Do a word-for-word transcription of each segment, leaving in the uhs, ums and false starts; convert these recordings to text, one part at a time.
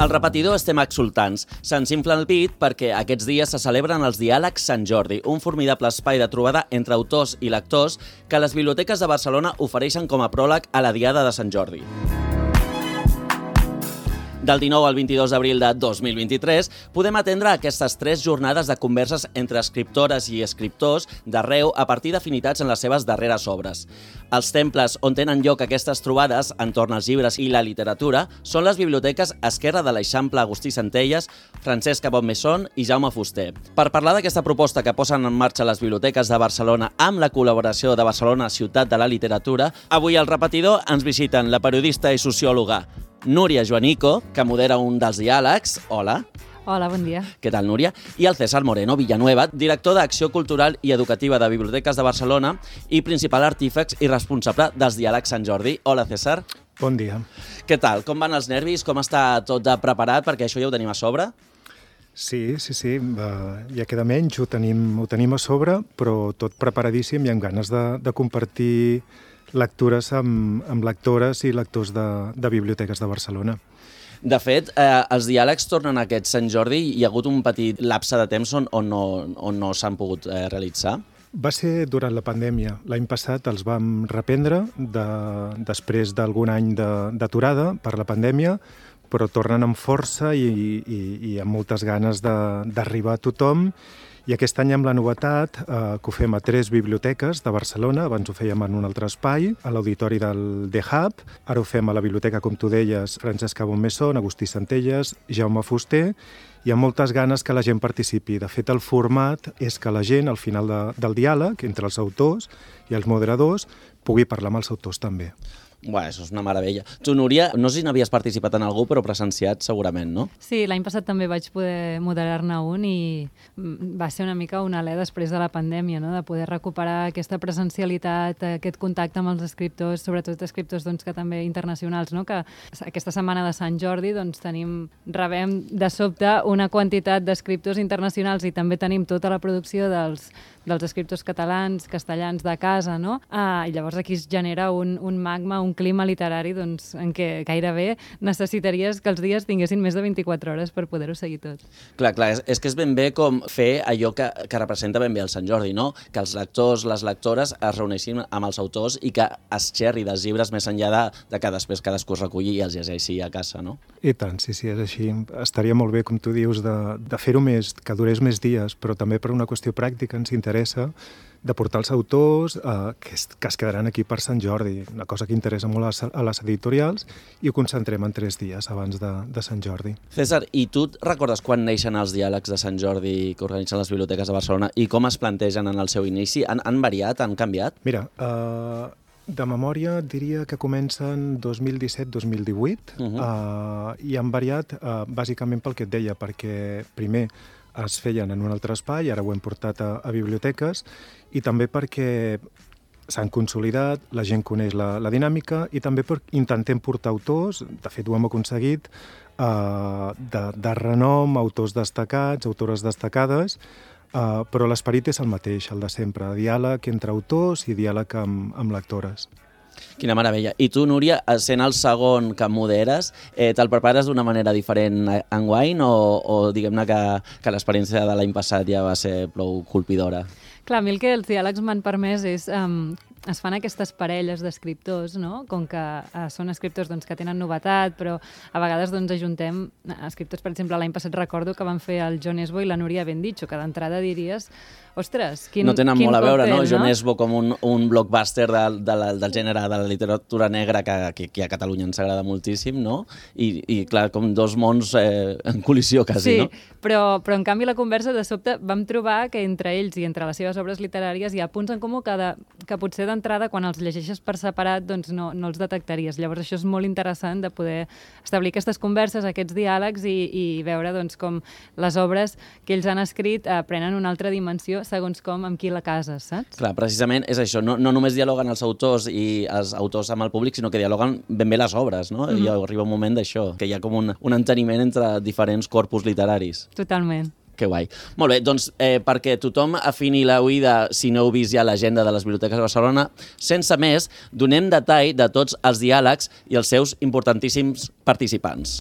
Al repetidor estem exultants. Se'ns infla el pit perquè aquests dies se celebren els Diàlegs Sant Jordi, un formidable espai de trobada entre autors i lectors que les biblioteques de Barcelona ofereixen com a pròleg a la Diada de Sant Jordi. Del dinou al vint-i-dos d'abril de dos mil vint-i-tres podem atendre aquestes tres jornades de converses entre escriptores i escriptors d'arreu a partir d'afinitats en les seves darreres obres. Els temples on tenen lloc aquestes trobades entorn als llibres i la literatura són les biblioteques Esquerra de l'Eixample Agustí Centelles, Francesc Cabot-Messon i Jaume Fuster. Per parlar d'aquesta proposta que posen en marxa les biblioteques de Barcelona amb la col·laboració de Barcelona Ciutat de la Literatura, avui al repetidor ens visiten la periodista i sociòloga Núria Joanico, que modera un dels diàlegs. Hola. Hola, bon dia. Què tal, Núria? I el César Moreno Villanueva, director d'Acció Cultural i Educativa de Biblioteques de Barcelona i principal artífex i responsable dels Diàlegs Sant Jordi. Hola, César. Bon dia. Què tal? Com van els nervis? Com està tot de preparat? Perquè això ja ho tenim a sobre. Sí, sí, sí. Uh, ja queda menys, ho tenim, ho tenim a sobre, però tot preparadíssim i amb ganes de, de compartir lectures amb, amb lectores i lectors de, de biblioteques de Barcelona. De fet, eh, els diàlegs tornen a aquest Sant Jordi i hi ha hagut un petit lapse de temps on, on no, on no s'han pogut eh, realitzar. Va ser durant la pandèmia. L'any passat els vam reprendre de, després d'algun any d'aturada per la pandèmia, però tornen amb força i, i, i amb moltes ganes d'arribar a tothom. I aquest any amb la novetat eh, que ho fem a tres biblioteques de Barcelona, abans ho fèiem en un altre espai, a l'auditori del The Hub, ara ho fem a la biblioteca, com tu deies, Francesc Cabot-Messon, Agustí Centelles, Jaume Fuster, i amb moltes ganes que la gent participi. De fet, el format és que la gent, al final de, del diàleg, entre els autors i els moderadors, pugui parlar amb els autors també. Bé, això és una meravella. Tu, Núria, no sé si n'havies participat en algú, però presenciat segurament, no? Sí, l'any passat també vaig poder moderar-ne un i va ser una mica un alè després de la pandèmia, no? De poder recuperar aquesta presencialitat, aquest contacte amb els escriptors, sobretot escriptors doncs, que també internacionals, no? Que aquesta setmana de Sant Jordi doncs, tenim, rebem de sobte una quantitat d'escriptors internacionals i també tenim tota la producció dels, dels escriptors catalans, castellans de casa, no? Ah, i llavors aquí es genera un, un magma, un un clima literari doncs, en què gairebé necessitaries que els dies tinguessin més de vint-i-quatre hores per poder-ho seguir tot. Clar, clar, és, és que és ben bé com fer allò que, que representa ben bé el Sant Jordi, no? Que els lectors, les lectores es reuneixin amb els autors i que es xerri dels llibres més enllà de, de que després cadascú es reculli i els llegeixi a casa, no? I tant, sí, sí, és així. Estaria molt bé, com tu dius, de, de fer-ho més, que durés més dies, però també per una qüestió pràctica ens interessa de portar els autors eh, que, es, que es quedaran aquí per Sant Jordi, una cosa que interessa molt a les, a les editorials, i ho concentrem en tres dies abans de, de Sant Jordi. César, i tu recordes quan neixen els diàlegs de Sant Jordi que organitzen les biblioteques de Barcelona i com es plantegen en el seu inici? Han, han variat, han canviat? Mira, eh, de memòria diria que comencen dos mil disset dos mil divuit uh -huh. eh, i han variat eh, bàsicament pel que et deia, perquè primer es feien en un altre espai, ara ho hem portat a, a biblioteques, i també perquè s'han consolidat, la gent coneix la, la dinàmica, i també perquè intentem portar autors, de fet ho hem aconseguit, eh, de, de renom, autors destacats, autores destacades, eh, però l'esperit és el mateix, el de sempre, diàleg entre autors i diàleg amb, amb lectores. Quina meravella. I tu, Núria, sent el segon que moderes, eh, te'l prepares d'una manera diferent enguany o, o diguem-ne que, que l'experiència de l'any passat ja va ser prou colpidora? Clar, a mi el que els diàlegs m'han permès és... Um, es fan aquestes parelles d'escriptors, no? Com que uh, són escriptors doncs, que tenen novetat, però a vegades doncs, ajuntem escriptors, per exemple, l'any passat recordo que van fer el Jon Esbo i la Núria Bendicho, que d'entrada diries, ostres, quin No tenen quin molt a veure, còctel, no? no? Jon Esbo com un, un blockbuster de, de la, del gènere de la literatura negra que, que aquí a Catalunya ens agrada moltíssim, no? I, i clar, com dos mons eh, en col·lisió quasi, sí, no? Sí, però, però en canvi la conversa de sobte vam trobar que entre ells i entre les seves obres literàries hi ha punts en comú que, de, que potser d'entrada quan els llegeixes per separat doncs no, no els detectaries. Llavors això és molt interessant de poder establir aquestes converses, aquests diàlegs i, i veure doncs, com les obres que ells han escrit eh, prenen una altra dimensió segons com amb qui la cases, saps? Clar, precisament és això, no, no només dialoguen els autors i els autors amb el públic, sinó que dialoguen ben bé les obres, no? Mm-hmm. I arriba un moment d'això, que hi ha com un, un enteniment entre diferents corpus literaris. Totalment. Que guai. Molt bé, doncs eh, perquè tothom afini la oïda, si no heu vist ja l'agenda de les biblioteques de Barcelona, sense més, donem detall de tots els diàlegs i els seus importantíssims participants.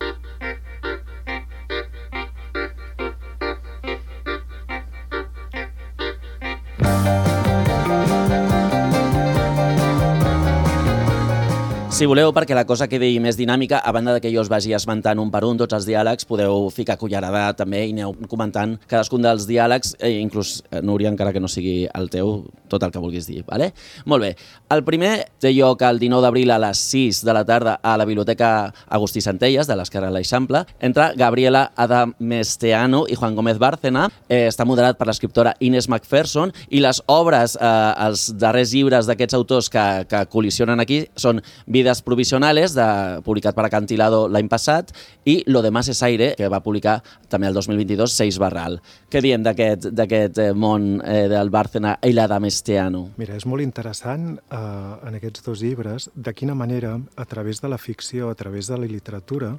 Si voleu, perquè la cosa quedi més dinàmica, a banda de que jo us vagi esmentant un per un tots els diàlegs, podeu ficar cullerada també i aneu comentant cadascun dels diàlegs, eh, inclús, eh, Núria, encara que no sigui el teu, tot el que vulguis dir, vale? Molt bé. El primer té lloc el dinou d'abril a les sis de la tarda a la Biblioteca Agustí Centelles, de l'Esquerra de l'Eixample, entre Gabriela Adamesteanu i Juan Gómez Bárcena. Eh, està moderat per l'escriptora Inés McPherson i les obres, eh, els darrers llibres d'aquests autors que, que col·lisionen aquí són Vides Provisionales, de, publicat per Acantilado l'any passat, i Lo demás es aire, que va publicar també el dos mil vint-i-dos Seix Barral. Què diem d'aquest eh, món eh, del Bárcena i l'Adamesteanu? Mira, és molt interessant eh, en aquests dos llibres de quina manera, a través de la ficció, a través de la literatura,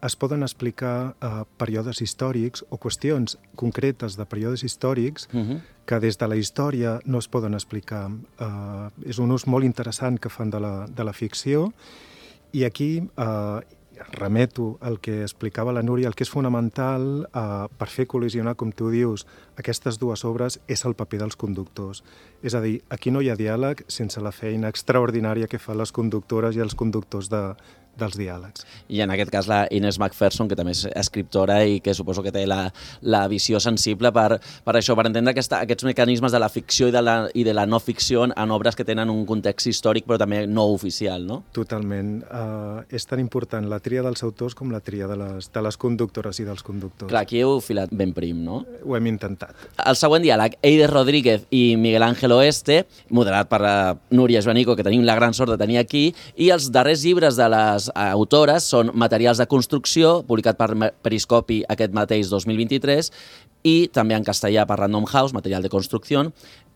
es poden explicar eh, períodes històrics o qüestions concretes de períodes històrics uh-huh. que des de la història no es poden explicar. Eh, és un ús molt interessant que fan de la, de la ficció i aquí eh, remeto al que explicava la Núria, el que és fonamental eh, per fer col·lisionar, com tu dius, aquestes dues obres és el paper dels conductors. És a dir, aquí no hi ha diàleg sense la feina extraordinària que fan les conductores i els conductors de, dels diàlegs. I en aquest cas la Inés McPherson, que també és escriptora i que suposo que té la, la visió sensible per, per això, per entendre aquesta, aquests mecanismes de la ficció i de la, i de la no ficció en obres que tenen un context històric però també no oficial, no? Totalment. Uh, és tan important la tria dels autors com la tria de les, de les conductores i dels conductors. Clar, aquí heu filat ben prim, no? Ho hem intentat. El següent diàleg, Eider Rodríguez i Miguel Ángel Oeste, moderat per la Núria Joanico, que tenim la gran sort de tenir aquí, i els darrers llibres de les autores són Materials de construcció, publicat per Periscopi aquest mateix dos mil vint-i-tres, i també en castellà per Random House, Material de construcció,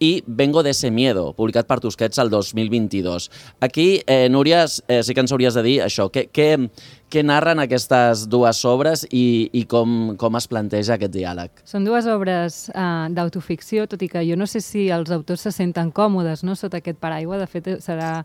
i Vengo de ese miedo, publicat per Tusquets el dos mil vint-i-dos. Aquí, eh, Núria, eh, sí que ens hauries de dir això, què, què, què narren aquestes dues obres i, i com, com es planteja aquest diàleg? Són dues obres uh, d'autoficció, tot i que jo no sé si els autors se senten còmodes, no?, sota aquest paraigua. De fet, serà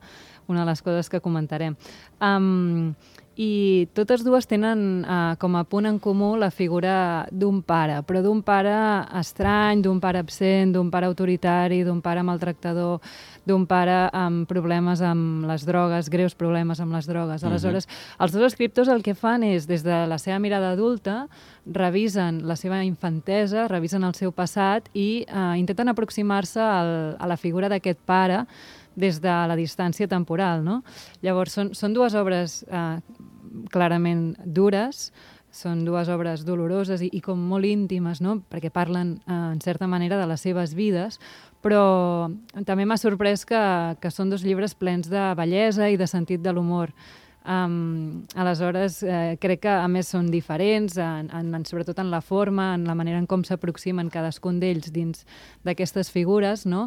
una de les coses que comentarem. Um, I totes dues tenen uh, com a punt en comú la figura d'un pare, però d'un pare estrany, d'un pare absent, d'un pare autoritari, d'un pare maltractador, d'un pare amb problemes amb les drogues, greus problemes amb les drogues. Aleshores, uh-huh. els dos escriptors el que fan és, des de la seva mirada adulta, revisen la seva infantesa, revisen el seu passat i uh, intenten aproximar-se al, a la figura d'aquest pare des de la distància temporal, no? Llavors, són, són dues obres eh, clarament dures, són dues obres doloroses i, i com molt íntimes, no?, perquè parlen, eh, en certa manera, de les seves vides, però també m'ha sorprès que, que són dos llibres plens de bellesa i de sentit de l'humor. Um, aleshores, eh, crec que a més són diferents, en, en, sobretot en la forma, en la manera en com s'aproximen cadascun d'ells dins d'aquestes figures, no?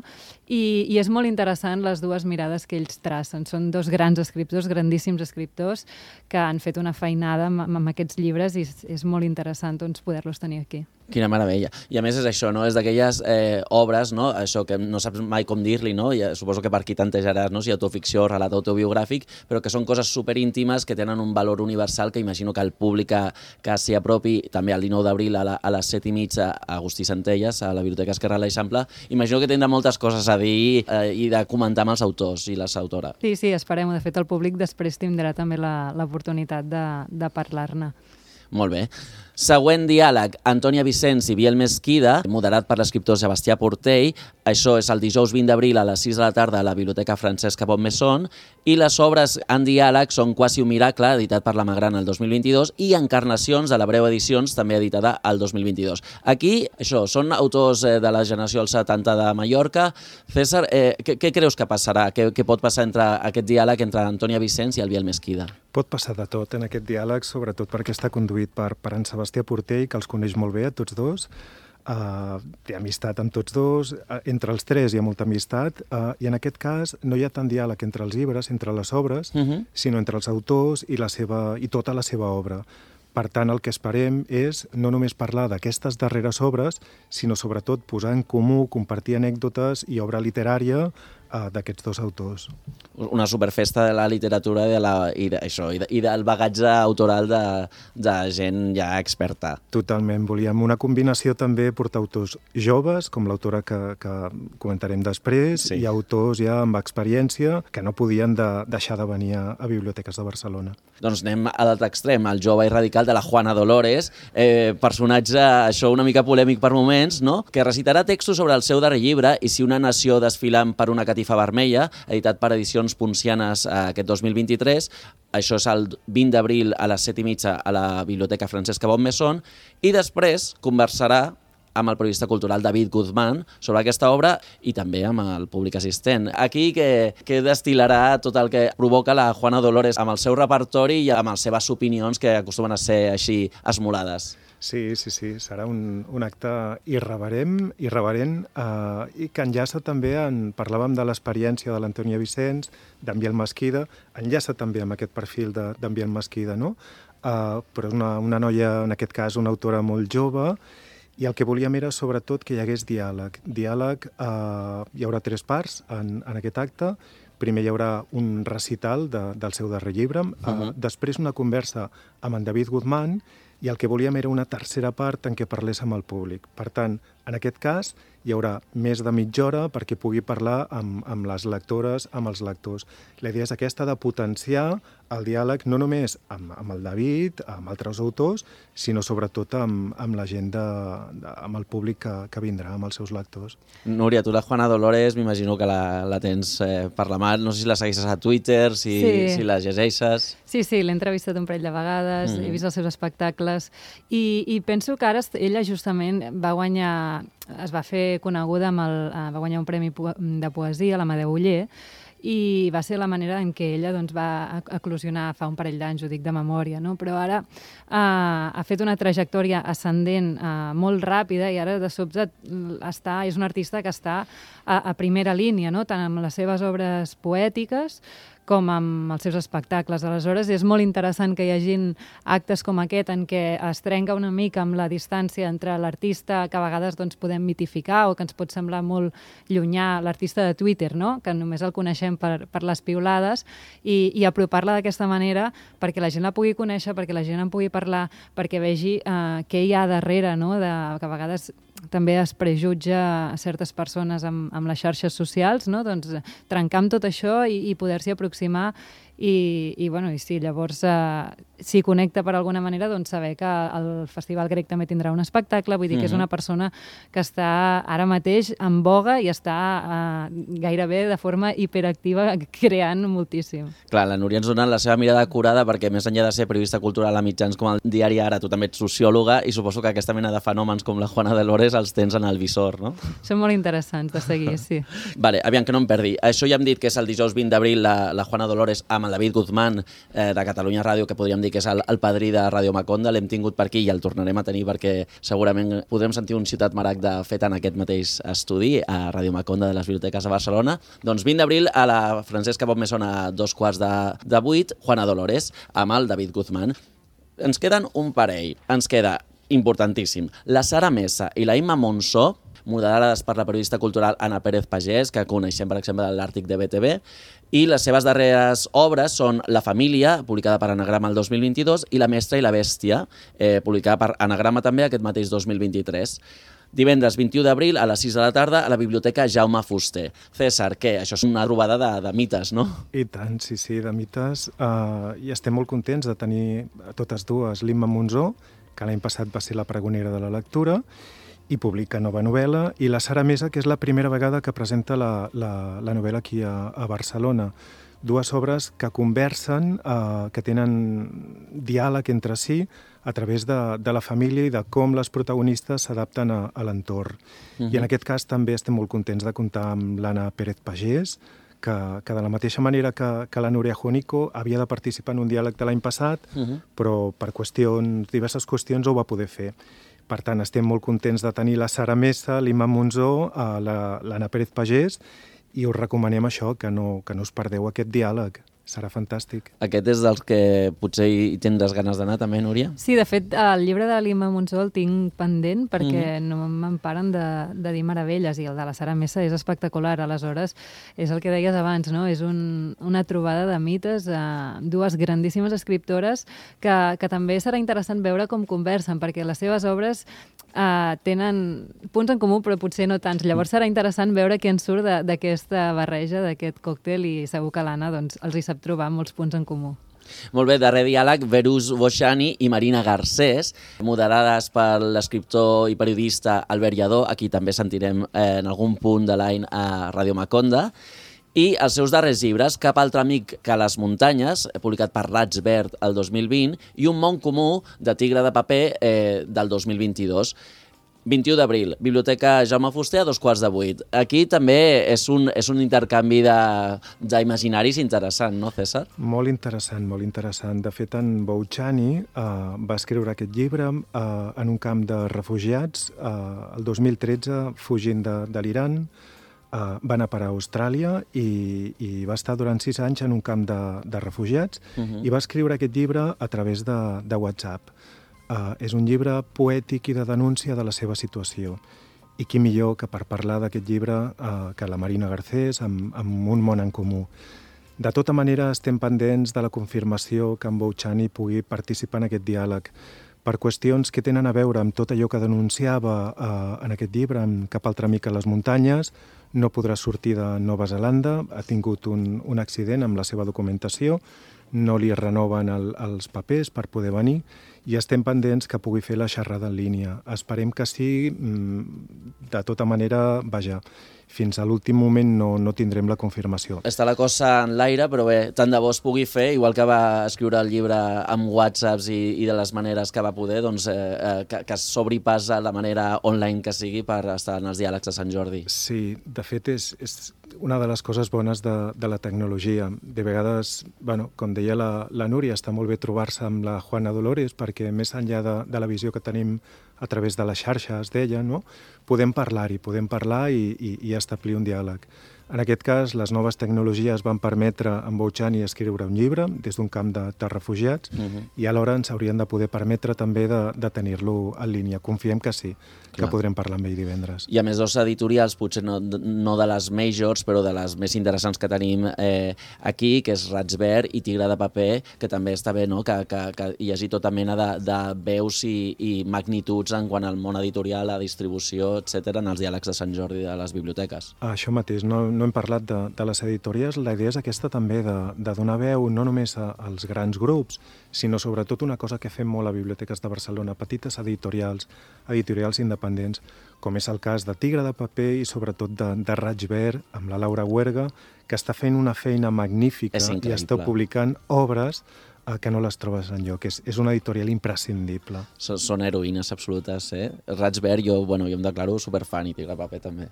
I, i és molt interessant les dues mirades que ells tracen. Són dos grans escriptors, grandíssims escriptors, que han fet una feinada amb, amb aquests llibres i és, és molt interessant, doncs, poder-los tenir aquí. Quina meravella. I a més és això, no? És d'aquelles eh, obres, no? Això que no saps mai com dir-li, no? I suposo que per aquí tantejaràs, no? Si autoficció, relat autobiogràfic, però que són coses superíntimes que tenen un valor universal que imagino que el públic que, que s'hi apropi també el dinou d'abril a, la, a les set i mitja a Agustí Centelles, a la Biblioteca Esquerra de l'Eixample, imagino que tindrà moltes coses a dir eh, i de comentar amb els autors i les autores. Sí, sí, esperem-ho. De fet, el públic després tindrà també l'oportunitat de, de parlar-ne. Molt bé. Següent diàleg, Antònia Vicens i Biel Mesquida, moderat per l'escriptor Sebastià Portell. Això és el dijous vint d'abril a les sis de la tarda a la Biblioteca Francesca Bonnemaison. I les obres en diàleg són Quasi un miracle, editat per la Magrana el dos mil vint-i-dos, i Encarnacions, de la Breu Edicions, també editada el dos mil vint-i-dos. Aquí, això, són autors eh, de la generació dels setanta de Mallorca. César, eh, què, què creus que passarà? Què, què pot passar entre aquest diàleg entre Antònia Vicens i el Biel Mesquida? Pot passar de tot en aquest diàleg, sobretot perquè està conduït per, per en Sebastià Portell, que els coneix molt bé a tots dos. Uh, té amistat amb tots dos, uh, entre els tres hi ha molta amistat, uh, i en aquest cas no hi ha tant diàleg entre els llibres, entre les obres, uh-huh. sinó entre els autors i, la seva, i tota la seva obra. Per tant, el que esperem és no només parlar d'aquestes darreres obres, sinó sobretot posar en comú, compartir anècdotes i obra literària uh, d'aquests dos autors. Una superfesta de la literatura i, de la, i, de, això, i, de, i del bagatge autoral de, de gent ja experta. Totalment. Volíem una combinació també, portar autors joves, com l'autora que, que comentarem després, sí. i autors ja amb experiència que no podien de, deixar de venir a, a biblioteques de Barcelona. Doncs anem a l'altre extrem, el jove i radical de la Juana Dolores, eh, personatge, això una mica polèmic per moments, no? Que recitarà textos sobre el seu darrer llibre i si una nació desfilant per una catifa vermella, editat per Edicions Poncianes eh, aquest dos mil vint-i-tres. Això és el vint d'abril a les set i mitja a la Biblioteca Francesca Bonnemaison, i després conversarà amb el periodista cultural David Guzmán sobre aquesta obra i també amb el públic assistent. Aquí que, que destil·larà tot el que provoca la Juana Dolores amb el seu repertori i amb les seves opinions que acostumen a ser així esmolades. Sí, sí, sí, serà un, un acte irreverent, irreverent eh, i que enllaça també, en, parlàvem de l'experiència de l'Antònia Vicenç, d'en Biel Mesquida, enllaça també amb aquest perfil d'en Biel Mesquida, no? Eh, però és una, una noia, en aquest cas, una autora molt jove, i el que volíem era, sobretot, que hi hagués diàleg. Diàleg, eh, hi haurà tres parts en, en aquest acte. Primer hi haurà un recital de, del seu darrer llibre, uh -huh. eh, després una conversa amb en David Guzmán, i el que volíem era una tercera part en què parlés amb el públic. Per tant, en aquest cas, hi haurà més de mitja hora perquè pugui parlar amb, amb les lectores, amb els lectors. La idea és aquesta de potenciar el diàleg no només amb, amb el David, amb altres autors, sinó sobretot amb, amb la gent, de, de, amb el públic que, que vindrà, amb els seus lectors. Núria, tu la Juana Dolores m'imagino que la, la tens eh, per la mà, no sé si la segueixes a Twitter, si, sí. si la llegeixes... Sí, sí, l'he entrevistat un parell de vegades, mm. he vist els seus espectacles i, i penso que ara ella justament va guanyar, es va fer coneguda amb el, va guanyar un premi de poesia, l'Amadeu Oller, i va ser la manera en què ella doncs, va eclosionar fa un parell d'anys, ho dic de memòria, no? Però ara eh, ha fet una trajectòria ascendent eh, molt ràpida i ara de sobte està, és un artista que està a, a primera línia, no? Tant amb les seves obres poètiques com amb els seus espectacles. Aleshores, és molt interessant que hi hagin actes com aquest en què es trenca una mica amb la distància entre l'artista que a vegades doncs, podem mitificar o que ens pot semblar molt llunyà, l'artista de Twitter, no? Que només el coneixem per, per les piulades, i, i apropar-la d'aquesta manera perquè la gent la pugui conèixer, perquè la gent en pugui parlar, perquè vegi eh, què hi ha darrere, no? De, que a vegades també es prejutja a certes persones amb, amb les xarxes socials, no? Doncs trencar amb tot això i, i poder-s'hi aproximar i, i, bueno, i sí, llavors eh, si connecta per alguna manera, doncs saber que el Festival Grec també tindrà un espectacle, vull dir que és una persona que està ara mateix en boga i està eh, gairebé de forma hiperactiva creant moltíssim. Clar, la Núria ens dona la seva mirada curada perquè més enllà de ser periodista cultural a mitjans com el Diari Ara, tu també ets sociòloga i suposo que aquesta mena de fenòmens com la Juana Dolores els tens en el visor, no? Són molt interessants de seguir, sí. Vale, aviam que no em perdi. Això ja hem dit que és el dijous vint d'abril la, la Juana Dolores amb el David Guzmán eh, de Catalunya Ràdio, que podríem dir que és el, el padrí de Ràdio Maconda. L'hem tingut per aquí i el tornarem a tenir perquè segurament podrem sentir un Ciutat Maragda fet en aquest mateix estudi a Ràdio Maconda de les Biblioteques de Barcelona. Doncs vint d'abril a la Francesca Bonnemaison a dos quarts de, de vuit, Juana Dolores amb el David Guzmán. Ens queden un parell. Ens queda importantíssim. La Sara Mesa i la Imma Monsó, moderades per la periodista cultural Anna Pérez Pagès, que coneixem, per exemple, de l'Àrtic de B T V, i les seves darreres obres són La família, publicada per Anagrama el dos mil vint-i-dos, i La mestra i la bèstia, eh, publicada per Anagrama també aquest mateix dos mil vint-i-tres. Divendres vint-i-u d'abril a les sis de la tarda a la Biblioteca Jaume Fuster. César, què? Això és una trobada de, de mites, no? I tant, sí, sí, de mites. Uh, I estem molt contents de tenir totes dues. L'Imma Monsó, que l'any passat va ser la pregonera de la lectura, i publica nova novel·la, i la Sara Mesa, que és la primera vegada que presenta la, la, la novel·la aquí a, a Barcelona. Dues obres que conversen, eh, que tenen diàleg entre si a través de, de la família i de com les protagonistes s'adapten a, a l'entorn. Uh-huh. I en aquest cas també estem molt contents de comptar amb l'Anna Pérez Pagès, que, que de la mateixa manera que, que la Núria Juanico havia de participar en un diàleg de l'any passat, uh-huh. però per qüestions, diverses qüestions ho va poder fer. Per tant, estem molt contents de tenir la Sara Mesa, l'Imma Monsó, l'Anna Pérez Pagès, i us recomanem això, que no, que no us perdeu aquest diàleg. serà fantàstic. Aquest és dels que potser hi tindràs ganes d'anar també, Núria? Sí, de fet, el llibre de l'Imma Monsó el tinc pendent perquè Mhm. no me'n paren de, de dir meravelles, i el de la Sara Messa és espectacular. Aleshores, és el que deies abans, no? És un, una trobada de mites, eh, dues grandíssimes escriptores que, que també serà interessant veure com conversen, perquè les seves obres eh, tenen punts en comú, però potser no tants. Llavors serà interessant veure què en surt de- d'aquesta barreja, d'aquest còctel, i segur que l'Anna doncs, els hi sap trobar molts punts en comú. Molt bé, darrer diàleg, Verus Boixani i Marina Garcés, moderades per l'escriptor i periodista Albert Lladó, a qui també sentirem eh, en algun punt de l'any a Ràdio Maconda, i els seus darrers llibres, Cap altre amic que les muntanyes, publicat per Raig Verd el dos mil vint, i Un món comú, de Tigre de paper, eh, del dos mil vint-i-dos. vint-i-u d'abril, Biblioteca Jaume Fuster a dos quarts de vuit. Aquí també és un, és un intercanvi de- d'imaginaris interessant, no, César? Molt interessant, molt interessant. De fet, en Boutxani eh, va escriure aquest llibre eh, en un camp de refugiats eh, el dos mil tretze, fugint de, de l'Iran. Eh, va anar per a Austràlia i, i va estar durant sis anys en un camp de, de refugiats Mhm. i va escriure aquest llibre a través de, de WhatsApp. Uh, és un llibre poètic i de denúncia de la seva situació. I qui millor que per parlar d'aquest llibre uh, que la Marina Garcés, amb, amb Un món en comú. De tota manera, estem pendents de la confirmació que en Boutxani pugui participar en aquest diàleg per qüestions que tenen a veure amb tot allò que denunciava uh, en aquest llibre, amb Cap altre amic a les muntanyes. No podrà sortir de Nova Zelanda, ha tingut un, un accident amb la seva documentació, no li renoven el, els papers per poder venir, i estem pendents que pugui fer la xerrada en línia. Esperem que sí, de tota manera, vaja, fins a l'últim moment no, no tindrem la confirmació. Està la cosa en l'aire, però bé, tant de bo es pugui fer, igual que va escriure el llibre amb whatsapps i, i de les maneres que va poder, doncs eh, eh, que, que sobrepassa la manera online que sigui per estar en els diàlegs de Sant Jordi. Sí, de fet és, és una de les coses bones de, de la tecnologia. De vegades, bueno, com deia la, la Núria, està molt bé trobar-se amb la Juana Dolores perquè més enllà de, de la visió que tenim a través de les xarxes d'ella, no? podem parlar-hi, podem parlar i, i, i establir un diàleg. En aquest cas, les noves tecnologies van permetre a en Boutxani escriure un llibre des d'un camp de, de refugiats Uh -huh. i alhora ens haurien de poder permetre també de, de tenir-lo en línia. Confiem que sí, que Clar. podrem parlar amb ell divendres. I a més, dos editorials, potser no, no de les majors, però de les més interessants que tenim eh, aquí, que és Raig Verd i Tigre de paper, que també està bé, no?, que, que, que hi hagi tota mena de, de veus i, i magnituds en quant al món editorial, a distribució, etcètera, en els diàlegs de Sant Jordi de les biblioteques. Això mateix, no, no hem parlat de, de les editorials. La idea és aquesta també, de, de donar veu no només a, als grans grups, sinó sobretot una cosa que fem molt a Biblioteques de Barcelona, petites editorials, editorials independents, com és el cas de Tigre de paper i sobretot de, de Raig Verd, amb la Laura Huerga, que està fent una feina magnífica i està publicant obres eh, que no les trobes enlloc. És, és una editorial imprescindible. Són, són heroïnes absolutes, eh? Raig Verd, jo, bueno, jo em declaro superfan i Tigre de paper també.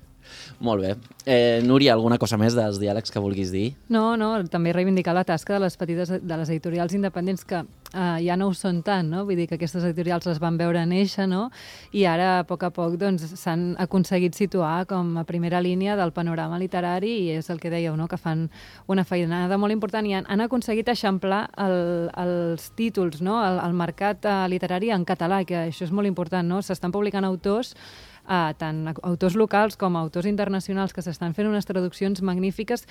Molt bé. Eh, Núria, alguna cosa més dels diàlegs que vulguis dir? No, no, també reivindicar la tasca de les petites, de les editorials independents que eh, ja no ho són tant, no? Vull dir que aquestes editorials les van veure néixer, no? I ara, a poc a poc, doncs, s'han aconseguit situar com a primera línia del panorama literari i és el que dèieu, no?, que fan una feinada molt important i han, han aconseguit eixamplar el, els títols, no?, el, el mercat eh, literari en català, que això és molt important, no? S'estan publicant autors Uh, tant autors locals com autors internacionals que s'estan fent unes traduccions magnífiques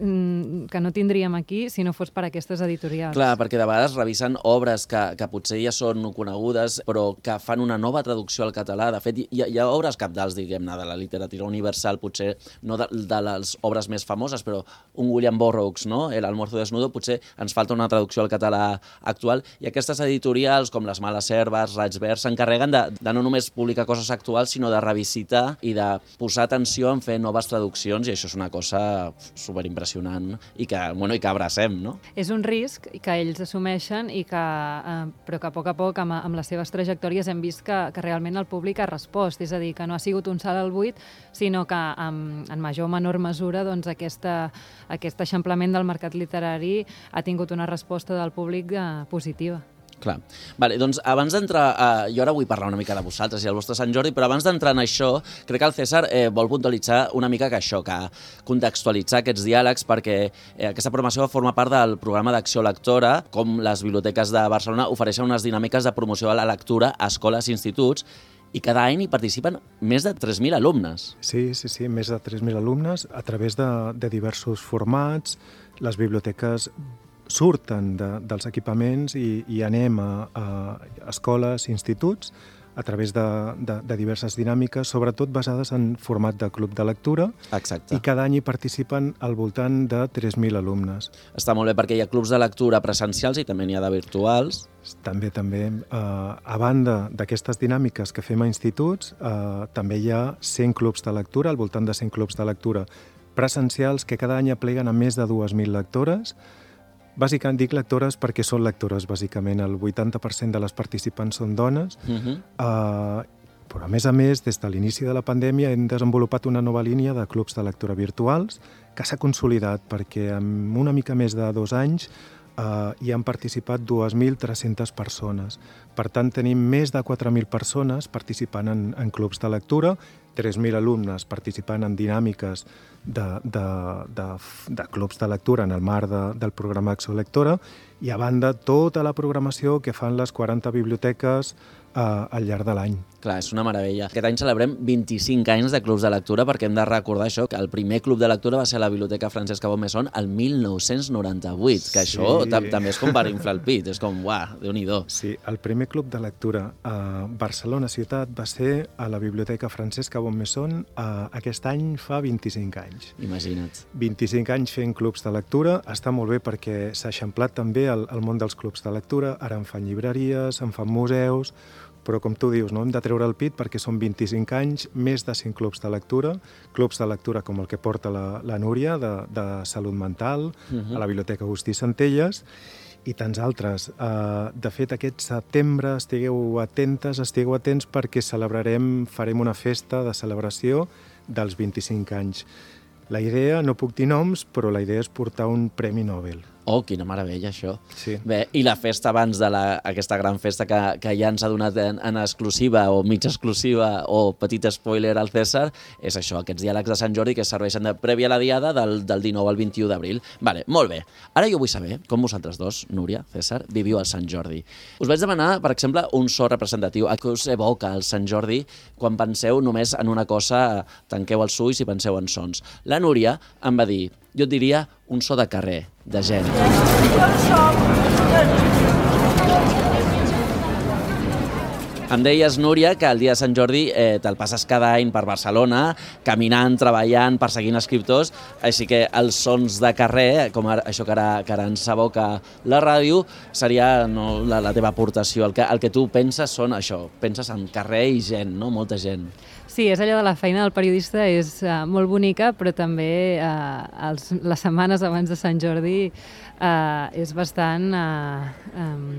mm, que no tindríem aquí si no fos per aquestes editorials. Clar, perquè de vegades revisen obres que, que potser ja són conegudes però que fan una nova traducció al català. De fet, hi ha, hi ha obres cabdals, diguem-ne, de la literatura universal, potser no de, de les obres més famoses, però un William Burroughs, no?, El almuerzo desnudo, potser ens falta una traducció al català actual, i aquestes editorials, com les Males Herbes, Raig Verd, s'encarreguen de, de no només publicar coses actuals, sinó de revisitar i de posar atenció en fer noves traduccions, i això és una cosa superimpressionant i que, bueno, i que abracem, no? És un risc que ells assumeixen i que, eh, però que a poc a poc, amb, amb les seves trajectòries, hem vist que, que realment el públic ha respost, és a dir, que no ha sigut un salt al buit, sinó que en, en major o menor mesura doncs, aquesta, aquest eixamplament del mercat literari ha tingut una resposta del públic eh, positiva. Clar. Vale, doncs abans d'entrar... A... Jo ara vull parlar una mica de vosaltres i el vostre Sant Jordi, però abans d'entrar en això, crec que el César eh, vol puntualitzar una mica que això, que contextualitzar aquests diàlegs, perquè eh, aquesta programació forma part del programa d'acció lectora, com les biblioteques de Barcelona ofereixen unes dinàmiques de promoció de la lectura a escoles i instituts, i cada any hi participen més de tres mil alumnes. Sí, sí, sí, més de tres mil alumnes a través de, de diversos formats. Les biblioteques surten de, dels equipaments i, i anem a, a escoles, instituts, a través de, de, de diverses dinàmiques, sobretot basades en format de club de lectura. Exacte. I cada any hi participen al voltant de tres mil alumnes. Està molt bé perquè hi ha clubs de lectura presencials i també n'hi ha de virtuals. També, també. Eh, a banda d'aquestes dinàmiques que fem a instituts, eh, també hi ha cent clubs de lectura, al voltant de cent clubs de lectura presencials que cada any apleguen a més de dues mil lectores. Bàsicament dic lectores perquè són lectores, bàsicament. El vuitanta per cent de les participants són dones. Uh-huh. uh, però, a més a més, des de l'inici de la pandèmia hem desenvolupat una nova línia de clubs de lectura virtuals que s'ha consolidat perquè en una mica més de dos anys uh, hi han participat dues mil tres-centes persones. Per tant, tenim més de quatre mil persones participant en, en clubs de lectura, tres mil alumnes participant en dinàmiques de, de, de, de clubs de lectura en el marc de, del programa Acció Lectora i, a banda, tota la programació que fan les quaranta biblioteques eh, al llarg de l'any. Clar, és una meravella. Aquest any celebrem vint-i-cinc anys de clubs de lectura perquè hem de recordar això, que el primer club de lectura va ser a la Biblioteca Francesca Baume-Messon el mil nou-cents noranta-vuit, que sí. això també és com per inflar el pit, és com, uah, Déu-n'hi-do. Sí, el primer club de lectura a Barcelona ciutat va ser a la Biblioteca Francesca Baume-Messon eh, aquest any fa vint-i-cinc anys. Imagina't. vint-i-cinc anys fent clubs de lectura, està molt bé perquè s'ha eixamplat també el, el món dels clubs de lectura, ara en fan llibreries, en fan museus, però com tu dius, no hem de treure el pit perquè són vint-i-cinc anys, més de cent clubs de lectura, clubs de lectura com el que porta la, la Núria, de, de salut mental, uh-huh. a la Biblioteca Agustí Centelles, i tants altres. Uh, de fet, aquest setembre estigueu atentes, estigueu atents perquè celebrarem, farem una festa de celebració dels vint-i-cinc anys. La idea, no puc dir noms, però la idea és portar un Premi Nobel. Oh, quina meravella, això. Sí. Bé, i la festa abans de la, aquesta gran festa que, que ja ens ha donat en, en exclusiva o mitja exclusiva o petit spoiler al César, és això, aquests diàlegs de Sant Jordi que serveixen de prèvia a la diada del, del dinou al vint-i-u d'abril. Vale, molt bé. Ara jo vull saber com vosaltres dos, Núria, César, viviu el Sant Jordi. Us vaig demanar, per exemple, un so representatiu. A què us evoca el Sant Jordi quan penseu només en una cosa, tanqueu els ulls i penseu en sons. La Núria em va dir, jo et diria un so de carrer, de gent. Em deies, Núria, que el dia de Sant Jordi eh, te'l passes cada any per Barcelona, caminant, treballant, perseguint escriptors, així que els sons de carrer, com ara, això que ara, que ara ens aboca la ràdio, seria no, la, la teva aportació. El que, el que tu penses són això, penses en carrer i gent, no? Molta gent. Sí, és allò de la feina del periodista, és uh, molt bonica, però també uh, els, les setmanes abans de Sant Jordi uh, és bastant... Uh, um,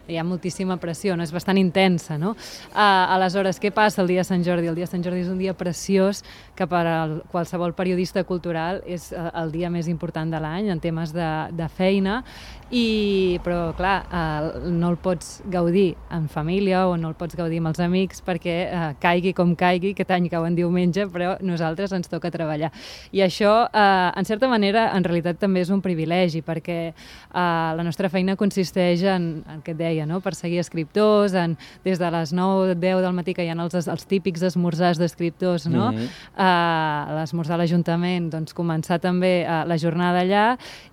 hi ha moltíssima pressió, no? És bastant intensa, no? Uh, aleshores, què passa el dia de Sant Jordi? El dia de Sant Jordi és un dia preciós que per a qualsevol periodista cultural és uh, el dia més important de l'any en temes de, de feina, i, però clar, uh, no el pots gaudir en família o no el pots gaudir amb els amics perquè uh, caigui com caigui, aquest any cau en diumenge, però nosaltres ens toca treballar. I això, uh, en certa manera, en realitat també és un privilegi, perquè uh, la nostra feina consisteix en, en què et deia, no? Perseguir escriptors, en, des de les nou o deu del matí que hi ha els, els típics esmorzars d'escriptors, no? Mm-hmm. uh, l'esmorzar a l'Ajuntament, doncs començar també uh, la jornada allà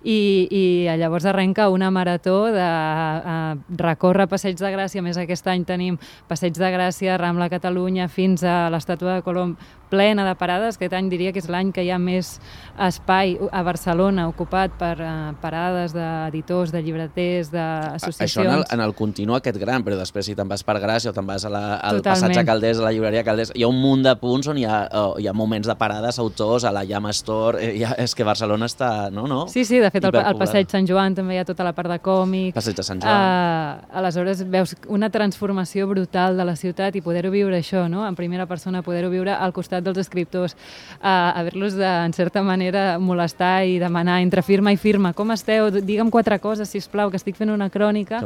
i, i llavors arrenca una marató de uh, recórrer Passeig de Gràcia. A més, aquest any tenim Passeig de Gràcia, Rambla Catalunya, fins a l'Estàtua de Colom, plena de parades. Aquest any diria que és l'any que hi ha més espai a Barcelona ocupat per uh, parades d'editors, de llibreters, d'associacions. Això en el, en el continu aquest gran, però després si te'n vas per Gràcia o te'n vas a la, al Passatge Calders, a la llibreria Calders, hi ha un munt de punts on hi ha, oh, hi ha moments de parades, autors, a la Llama Store, eh, ha, és que Barcelona està... No, no? Sí, sí, de fet al, al Passeig Sant Joan també hi ha tota la part de còmic. Passeig de Sant Joan. Uh, aleshores veus una transformació brutal de la ciutat i poder-ho viure això, no? En primera persona, poder-ho viure al costat costat dels escriptors, a haver-los de, en certa manera, molestar i demanar entre firma i firma, com esteu? Digue'm quatre coses, sisplau, que estic fent una crònica.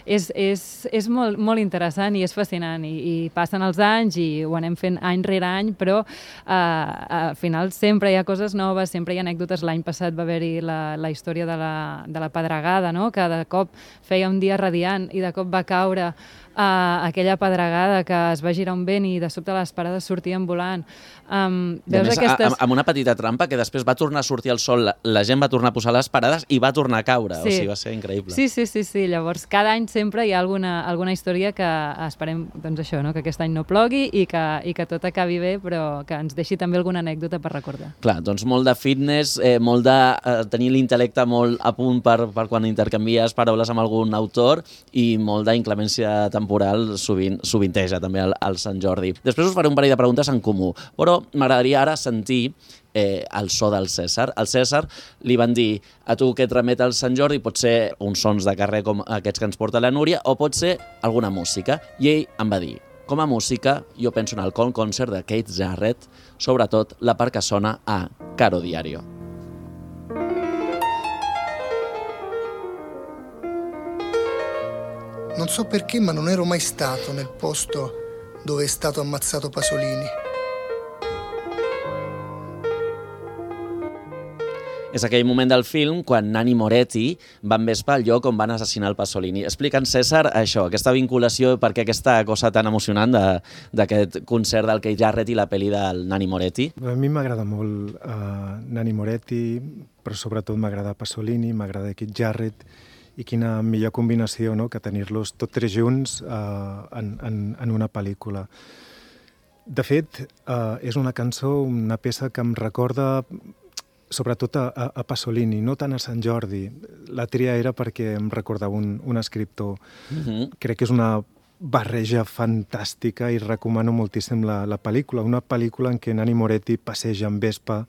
És, és, és molt, molt interessant i és fascinant. I, i passen els anys i ho anem fent any rere any, però eh, al final sempre hi ha coses noves, sempre hi ha anècdotes. L'any passat va haver-hi la, la història de la, de la pedregada, no? Que de cop feia un dia radiant i de cop va caure Uh, aquella pedregada que es va girar un vent i de sobte les parades sortien volant. Um, veus més, aquestes... amb una petita trampa que després va tornar a sortir el sol, la, la gent va tornar a posar les parades i va tornar a caure. Sí. O sigui, va ser increïble. Sí, sí, sí, sí. Llavors, cada any sempre hi ha alguna, alguna història que esperem, doncs això, no? Que aquest any no plogui i que, i que tot acabi bé, però que ens deixi també alguna anècdota per recordar. Clar, doncs molt de fitness, eh, molt de eh, tenir l'intel·lecte molt a punt per, per quan intercanvies paraules amb algun autor i molt d'inclemència temporal sovint, sovinteja també al, al Sant Jordi. Després us faré un parell de preguntes en comú, però m'agradaria ara sentir eh, el so del César. Al César li van dir a tu que et remet al Sant Jordi, pot ser uns sons de carrer com aquests que ens porta la Núria o pot ser alguna música. I ell em va dir, com a música, jo penso en el Con Concert de Keith Jarrett, sobretot la part que sona a Caro Diario. Non so perché, ma non ero mai stato nel posto dove è stato ammazzato Pasolini. És aquell moment del film quan Nanni Moretti va envespar al lloc on van assassinar el Pasolini. Explica'ns, César, això, aquesta vinculació, per què aquesta cosa tan emocionant d'aquest concert del Keith Jarrett i la pel·li del Nanni Moretti? A mi m'agrada molt uh, Nanni Moretti, però sobretot m'agrada Pasolini, m'agrada Keith Jarrett, i quina millor combinació, no?, que tenir-los tots tres junts uh, en, en, en una pel·lícula. De fet, uh, és una cançó, una peça que em recorda sobretot a, a Pasolini, no tant a Sant Jordi. La tria era perquè em recordava un, un escriptor. Uh-huh. Crec que és una barreja fantàstica i recomano moltíssim la, la pel·lícula. Una pel·lícula en què Nanni Moretti passeja en vespa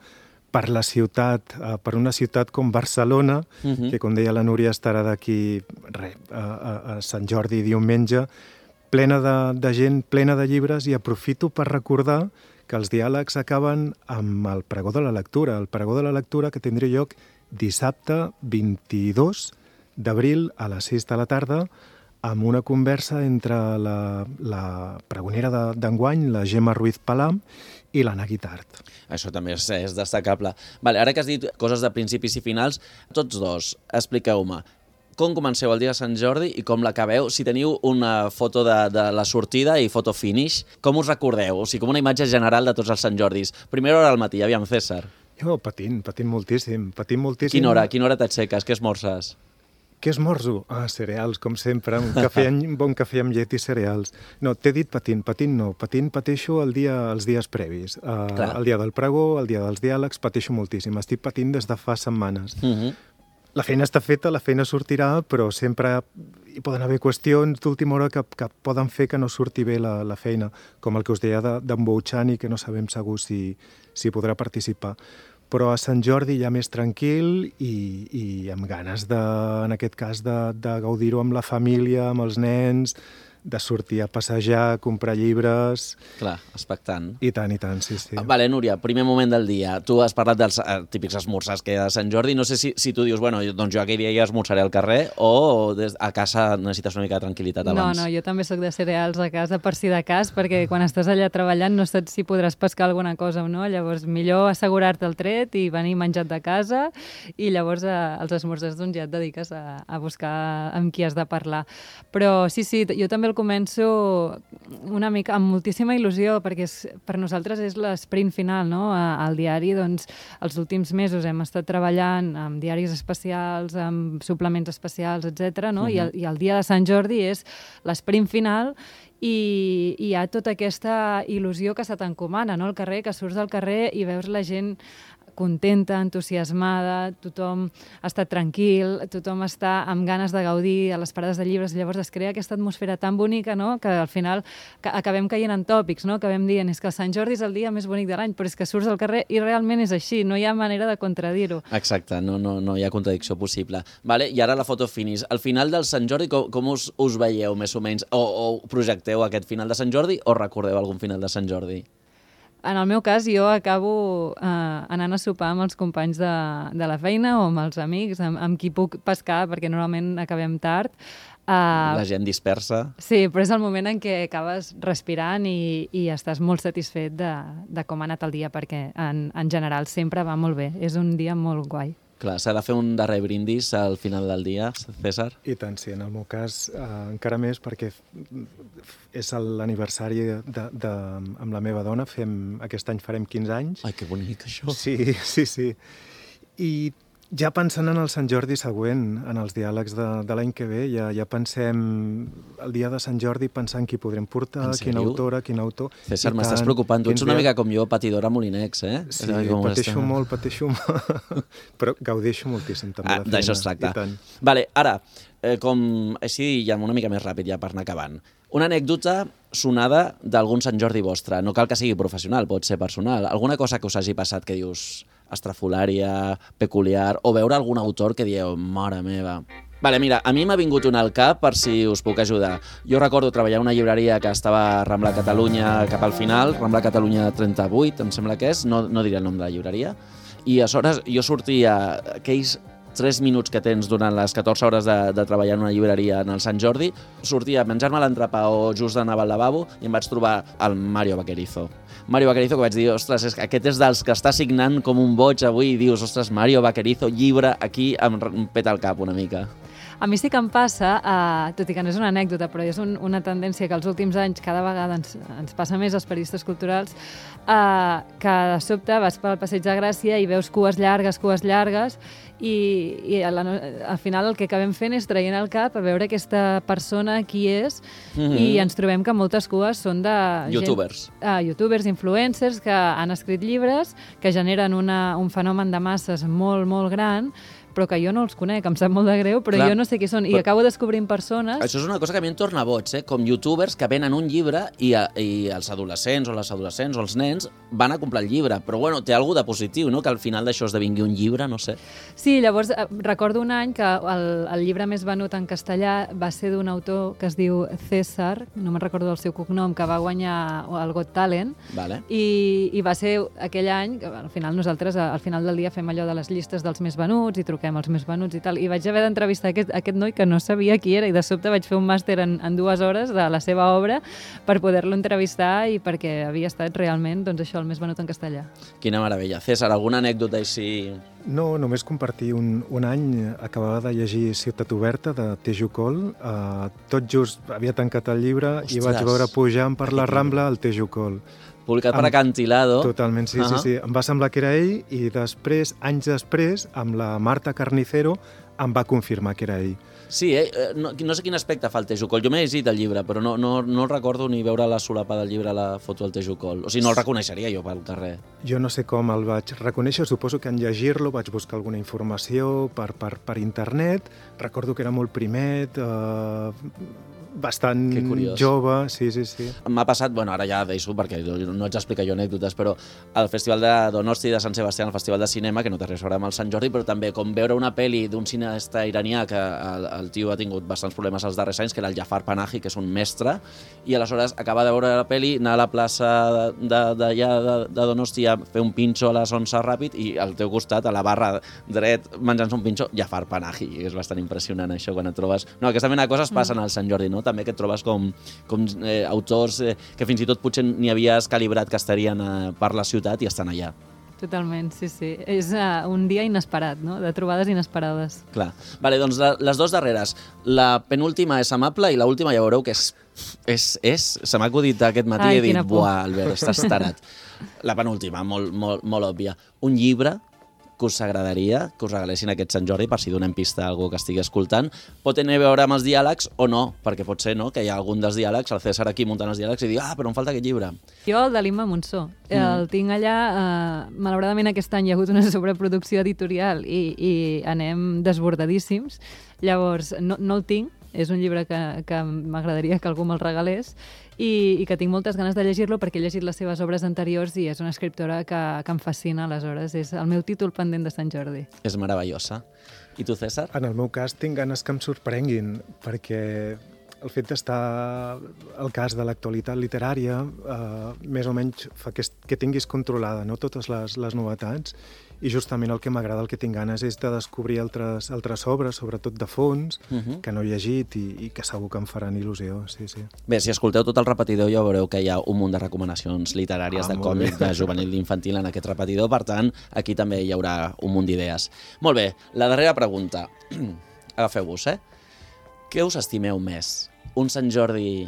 per la ciutat, uh, per una ciutat com Barcelona, uh-huh. que, com deia la Núria, estarà d'aquí a, a, a Sant Jordi diumenge, plena de, de gent, plena de llibres, i aprofito per recordar que els diàlegs acaben amb el pregó de la lectura, el pregó de la lectura que tindrà lloc dissabte vint-i-dos d'abril a les sis de la tarda, amb una conversa entre la, la pregonera d'enguany, la Gemma Ruiz Palam, i l'Anna Guitart. Això també és, és destacable. Vale, ara que has dit coses de principis i finals, tots dos, expliqueu-me, com comenceu el dia de Sant Jordi i com l'acabeu? Si teniu una foto de, de la sortida i foto finish, com us recordeu? O sigui, com una imatge general de tots els Sant Jordis. Primera hora al matí, aviam, César. Jo patint, patint moltíssim, patint moltíssim. Quina hora? Quina hora t'aixeques? Què esmorces? Què esmorzo? Ah, cereals, com sempre, un, cafè, un bon cafè amb llet i cereals. No, t'he dit patint, patint no, patint pateixo el dia, els dies previs. Uh, el dia del pregó, el dia dels diàlegs, pateixo moltíssim. Estic patint des de fa setmanes. Uh-huh. La feina està feta, la feina sortirà, però sempre hi poden haver qüestions d'última hora que, que poden fer que no surti bé la, la feina, com el que us deia d'en Bouchani, que no sabem segur si, si podrà participar. Però a Sant Jordi ja més tranquil i, i amb ganes, de, en aquest cas, de, de gaudir-ho amb la família, amb els nens, de sortir a passejar, a comprar llibres... Clar, expectant. I tant, i tant, sí, sí. Vale, Núria, primer moment del dia. Tu has parlat dels eh, típics esmorzars que hi ha de Sant Jordi. No sé si, si tu dius, bueno, doncs jo aquell dia ja esmorzaré al carrer o des, a casa necessites una mica de tranquil·litat abans. No, no, jo també sóc de cereals a casa per si de cas, perquè quan estàs allà treballant no saps si podràs pescar alguna cosa o no. Llavors, millor assegurar-te el tret i venir menjat de casa i llavors eh, als esmorzars doncs, ja et dediques a, a buscar amb qui has de parlar. Però sí, sí, jo també el començo una mica amb moltíssima il·lusió, perquè és, per nosaltres és l'esprint final, no? Al diari, doncs, els últims mesos hem estat treballant amb diaris especials, amb suplements especials, etcètera, no? Uh-huh. I, el, I el dia de Sant Jordi és l'esprint final i, i hi ha tota aquesta il·lusió que se t'encomana, no? Al carrer, que surts al carrer i veus la gent contenta, entusiasmada, tothom està tranquil, tothom està amb ganes de gaudir a les parades de llibres, llavors es crea aquesta atmosfera tan bonica, no?, que al final que acabem caient en tòpics, no?, acabem dient és que el Sant Jordi és el dia més bonic de l'any, però és que surts al carrer i realment és així, no hi ha manera de contradir-ho. Exacte, no, no, no hi ha contradicció possible. Vale, i ara la foto finish. Al final del Sant Jordi, com, com us, us veieu, més o menys? O, o projecteu aquest final de Sant Jordi o recordeu algun final de Sant Jordi? en el meu cas, jo acabo eh, anant a sopar amb els companys de, de la feina o amb els amics, amb, amb qui puc pescar, perquè normalment acabem tard. Uh, la gent dispersa. Sí, però és el moment en què acabes respirant i, i estàs molt satisfet de, de com ha anat el dia, perquè en, en general sempre va molt bé. És un dia molt guai. Clar, s'ha de fer un darrer brindis al final del dia, César? I tant, sí. En el meu cas, eh, encara més, perquè és l'aniversari de, de, amb la meva dona. Fem, aquest any farem quinze anys. Ai, que bonic, això. Sí, sí, sí. I ja pensant en el Sant Jordi següent, en els diàlegs de, de l'any que ve, ja, ja pensem el dia de Sant Jordi pensant qui podrem portar, quina autora, quin autor... César, m'estàs preocupant. Tu ets una mica com jo, patidora Molinex, eh? Sí, pateixo molt, pateixo molt, però gaudeixo moltíssim també ah, la feina. D'això es tracta. Vale, ara, eh, com així ja una mica més ràpid ja per anar acabant. Una anècdota sonada d'algun Sant Jordi vostre. No cal que sigui professional, pot ser personal. Alguna cosa que us hagi passat que dius estrafolària, peculiar, o veure algun autor que dieu, mare meva... Vale, mira, a mi m'ha vingut una al cap per si us puc ajudar. Jo recordo treballar a una llibreria que estava a Rambla Catalunya cap al final, Rambla Catalunya trenta-vuit, em sembla que és, no, no diré el nom de la llibreria, i aleshores jo sortia aquells tres minuts que tens durant les catorze hores de, de treballar en una llibreria en el Sant Jordi, sortia a menjar-me l'entrepà o just anava al lavabo i em vaig trobar el Mario Vaquerizo. Mario Vaquerizo, que vaig dir, ostres, és que aquest és dels que està signant com un boig avui, i dius, ostres, Mario Vaquerizo, llibre, aquí em peta el cap una mica. A mi sí que em passa, eh, tot i que no és una anècdota, però és un, una tendència que els últims anys cada vegada ens, ens passa més als periodistes culturals, eh, que de sobte vas pel Passeig de Gràcia i veus cues llargues, cues llargues, i, i a la, al final el que acabem fent és traient el cap a veure aquesta persona qui és, mm-hmm. i ens trobem que moltes cues són de... Youtubers. Gent, uh, youtubers, influencers, que han escrit llibres, que generen una, un fenomen de masses molt, molt gran, però que jo no els conec, em sap molt de greu, però Clar, jo no sé qui són, i però... acabo descobrint persones... Això és una cosa que a mi em torna boig, eh? Com youtubers que venen un llibre i, a, i els adolescents o les adolescents o els nens van a comprar el llibre, però bueno, té alguna de positiu, no? Que al final d'això esdevingui un llibre, no sé. Sí, llavors recordo un any que el, el llibre més venut en castellà va ser d'un autor que es diu César, no me'n recordo del seu cognom, que va guanyar el Got Talent, vale. i, i va ser aquell any, que al final nosaltres al final del dia fem allò de les llistes dels més venuts i truquem els més venuts i tal, i vaig haver d'entrevistar aquest, aquest noi que no sabia qui era, i de sobte vaig fer un màster en, en dues hores de la seva obra per poder-lo entrevistar i perquè havia estat realment, doncs això, el més venut en castellà. Quina meravella. César, alguna anècdota així? No, només compartir. Un, un any acabava de llegir Ciutat Oberta, de Teju Col. Uh, tot just havia tancat el llibre. Ostres. I vaig veure pujant per la Rambla el Teju Col. Publicat per Acantilado. Totalment, sí, uh -huh. sí, sí. Em va semblar que era ell i després, anys després, amb la Marta Carnicero, em va confirmar que era ell. Sí, eh? no, no sé quin aspecte fa el Teju Col. Jo m'he llegit el llibre, però no, no, no recordo ni veure la solapa del llibre a la foto del Teju Col. O sigui, no el reconeixeria jo pel carrer. Jo no sé com el vaig reconèixer, suposo que en llegir-lo vaig buscar alguna informació per, per, per internet. Recordo que era molt primet, eh, bastant jove, sí, sí, sí. M'ha passat, bueno, ara ja deixo perquè no ets explicar jo anècdotes, però al Festival de Donosti de Sant Sebastià, el Festival de Cinema, que no té res a veure amb el Sant Jordi, però també com veure una pel·li d'un cineasta iranià que el, el tio ha tingut bastants problemes els darrers anys, que era el Jafar Panahi, que és un mestre, i aleshores acaba de veure la pel·li, anar a la plaça d'allà de, de, de, de Donosti a fer un pinxo a les onze ràpid i al teu costat, a la barra dret, menjant-se un pinxo, Jafar Panahi. És bastant impressionant això quan et trobes... No, aquesta mena de coses passen al Sant Jordi, no? També que et trobes com, com eh, autors eh, que fins i tot potser ni havies calibrat que estarien eh, per la ciutat i estan allà. Totalment, sí, sí. És uh, un dia inesperat, no? De trobades inesperades. Clar. Vale, doncs la, les dues darreres. La penúltima és amable i l'última ja veureu que és... és, és se m'ha acudit aquest matí i he dit, buah, Albert, estàs tarat. La penúltima, molt, molt, molt òbvia. Un llibre que us agradaria que us regalessin aquest Sant Jordi, per si donem pista a algú que estigui escoltant. Pot tenir a veure amb els diàlegs o no, perquè pot ser, no?, que hi ha algun dels diàlegs, el César aquí muntant els diàlegs i diu, ah, però em falta aquest llibre. Jo el de l'Imma Monsó. Mm. El tinc allà, eh, malauradament aquest any hi ha hagut una sobreproducció editorial i, i anem desbordadíssims. Llavors, no, no el tinc, és un llibre que, que m'agradaria que algú me'l regalés, i, i que tinc moltes ganes de llegir-lo perquè he llegit les seves obres anteriors i és una escriptora que, que em fascina, aleshores és el meu títol pendent de Sant Jordi. És meravellosa. I tu, César? En el meu cas tinc ganes que em sorprenguin, perquè el fet d'estar al cas de l'actualitat literària eh, més o menys fa que, que tinguis controlada, no?, totes les, les novetats, i justament el que m'agrada, el que tinc ganes és de descobrir altres, altres obres, sobretot de fons, uh-huh. que no he llegit i, i que segur que em faran il·lusió. Sí, sí. Bé, si escolteu tot el repetidor ja veureu que hi ha un munt de recomanacions literàries, ah, de còmic, de juvenil i infantil en aquest repetidor, per tant, aquí també hi haurà un munt d'idees. Molt bé, la darrera pregunta. Agafeu-vos, eh? Què us estimeu més? Un Sant Jordi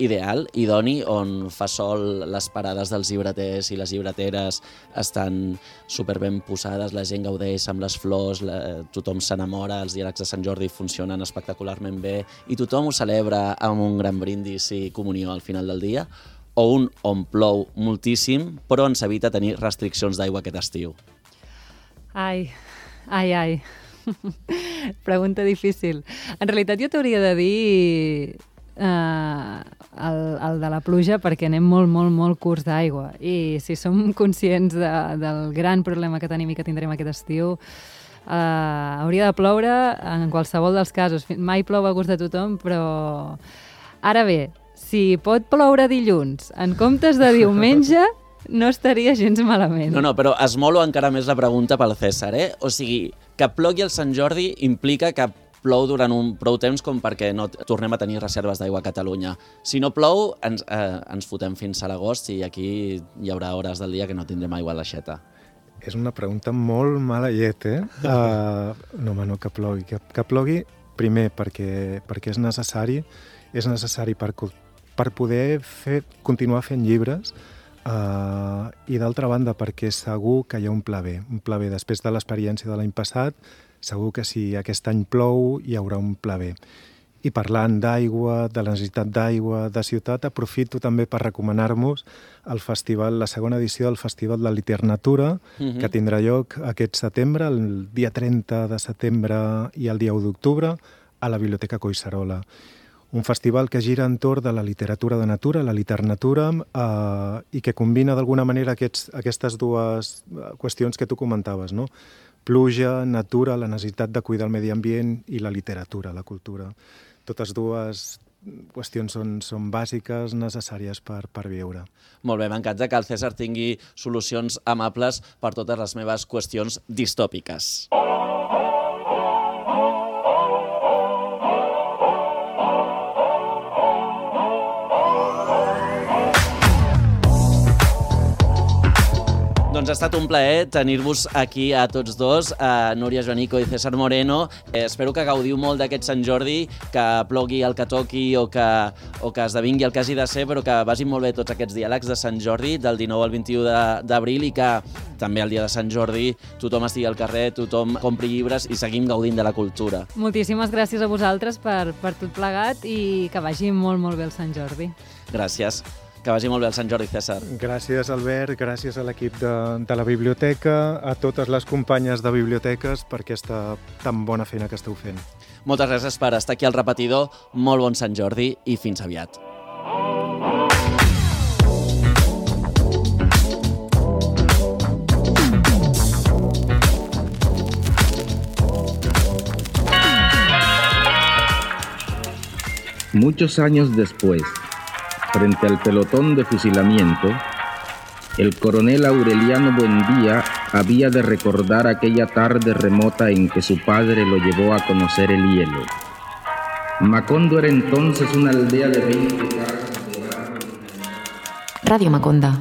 ideal, idoni, on fa sol les parades dels llibreters i les llibreteres estan superben posades, la gent gaudeix amb les flors, la, tothom s'enamora, els diàlegs de Sant Jordi funcionen espectacularment bé i tothom ho celebra amb un gran brindis i comunió al final del dia? O un on plou moltíssim, però ens evita tenir restriccions d'aigua aquest estiu? Ai, ai, ai. Pregunta difícil. En realitat jo t'hauria de dir eh, el, el de la pluja perquè anem molt, molt, molt curts d'aigua i si som conscients de, del gran problema que tenim i que tindrem aquest estiu, eh, hauria de ploure en qualsevol dels casos. Mai plou a gust de tothom, però ara bé, si pot ploure dilluns en comptes de diumenge, no estaria gens malament. No, no, però esmolo encara més la pregunta pel César, eh? O sigui, que plogui el Sant Jordi implica que plou durant un prou temps com perquè no tornem a tenir reserves d'aigua a Catalunya. Si no plou, ens, eh, ens fotem fins a l'agost i aquí hi haurà hores del dia que no tindrem aigua a l'aixeta. És una pregunta molt mala llet, eh? Uh, no, home, no, que plogui. Que, que plogui, primer, perquè, perquè és necessari, és necessari per, per poder fer, continuar fent llibres, Uh, i d'altra banda perquè segur que hi ha un pla B, un pla B després de l'experiència de l'any passat, segur que si aquest any plou hi haurà un pla B. I parlant d'aigua, de la necessitat d'aigua, de ciutat, aprofito també per recomanar-vos el festival, la segona edició del Festival de Literatura, uh-huh. que tindrà lloc aquest setembre, el dia trenta de setembre i el dia u d'octubre, a la Biblioteca Collserola. Un festival que gira entorn de la literatura de natura, la Liternatura, eh, i que combina d'alguna manera aquests, aquestes dues qüestions que tu comentaves, no? Pluja, natura, la necessitat de cuidar el medi ambient i la literatura, la cultura. Totes dues qüestions són, són bàsiques, necessàries per, per viure. Molt bé, m'encanta que el César tingui solucions amables per totes les meves qüestions distòpiques. Doncs ha estat un plaer tenir-vos aquí a tots dos, a Núria Joanico i César Moreno. Eh, espero que gaudiu molt d'aquest Sant Jordi, que plogui el que toqui o que, o que esdevingui el que hagi de ser, però que vagin molt bé tots aquests diàlegs de Sant Jordi, del dinou al vint-i-u d'abril, i que també el dia de Sant Jordi tothom estigui al carrer, tothom compri llibres i seguim gaudint de la cultura. Moltíssimes gràcies a vosaltres per, per tot plegat i que vagi molt, molt bé el Sant Jordi. Gràcies. Que vagi molt bé el Sant Jordi, César. Gràcies, Albert, gràcies a l'equip de, de la biblioteca, a totes les companyes de biblioteques per aquesta tan bona feina que esteu fent. Moltes gràcies per estar aquí al repetidor, molt bon Sant Jordi i fins aviat. Muchos años después, frente al pelotón de fusilamiento, el coronel Aureliano Buendía había de recordar aquella tarde remota en que su padre lo llevó a conocer el hielo. Macondo era entonces una aldea de veinte casas de barro. Radio Maconda.